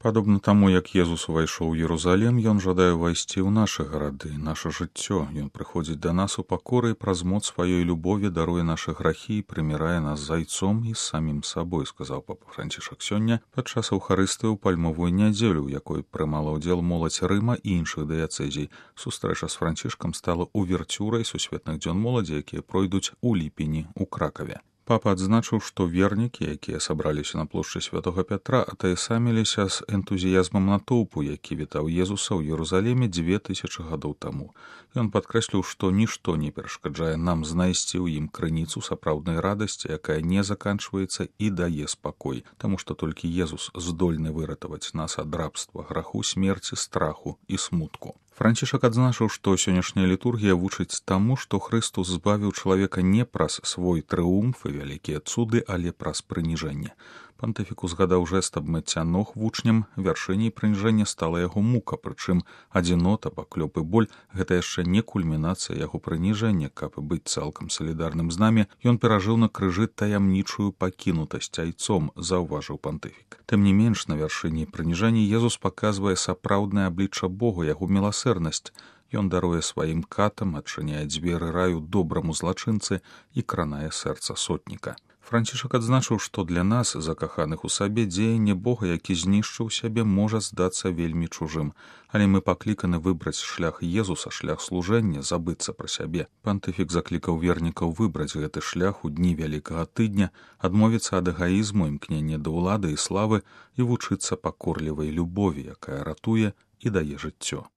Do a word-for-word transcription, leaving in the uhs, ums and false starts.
Падобна таму, як Езус увайшоў у Єрусалем, ён жадае ўвайсці ў нашы гарады, наша жыццё. Ён прыходзіць да нас у пакоры і праз моц сваёй любові даруе нашы грахі і прымірае нас з Айцом і з самім сабой, сказаў папа Францішак сёння падчас Эўхарыстыі ў пальмовую нядзелю, у якой прымала ўдзел моладзь Рыма і іншых дыяцэзій. Сустрэча з Францішкам стала уверцюрай сусветных дзён моладзі, якія пройдуць у ліпені ў Кракаве. Папа адзначыў, што вернікі, якія сабраліся на плошчы Святога Пятра, атаясаміліся з энтузіязмам натоўпу, які вітаў Езуса ў Єрусалеме дзве тысячы гадоў таму. Ён падкрэсліў, што нішто не перашкаджае нам знайсці ў ім крыніцу сапраўднай радасці, якая не заканчваецца і дае спакой, таму што толькі Езус здольны выратаваць нас ад рабства, граху, смерці, страху і смутку. Францішак адзначыў, што сённяшняя літургія вучыць таму, што Хрыстус збавіў чалавека не праз свой трыумф і вялікія цуды, але праз прыніжэнне. Пантыфік узгадаў жэст абмыцця ног вучням, вяршыняй прыніжэння стала яго мука, прычым адзінота, паклёп і боль — гэта яшчэ не кульмінацыя яго прыніжэння. Каб быць цалкам салідарным з намі, ён перажыў на крыжы таямнічую пакінутасць Айцом, заўважыў пантыфік. Тым не менш, на вяршыні прыніжэння Езус паказвае сапраўднае аблічча Бога, яго міласэрнасць. Ён даруе сваім катам, адчыняе дзверы раю добраму злачынцы і кранае сэрца сотніка. Францішак адзначыў, што для нас, закаханых у сабе, дзеянне Бога, які знішчыў сябе, можа здацца вельмі чужым, але мы пакліканы выбраць шлях Езуса, шлях служэння, забыцца пра сябе. Пантыфік заклікаў вернікаў выбраць гэты шлях у дні вялікага тыдня, адмовіцца ад эгаізму, імкнення да ўлады і славы і вучыцца пакорлівай любові, якая ратуе і дае жыццё.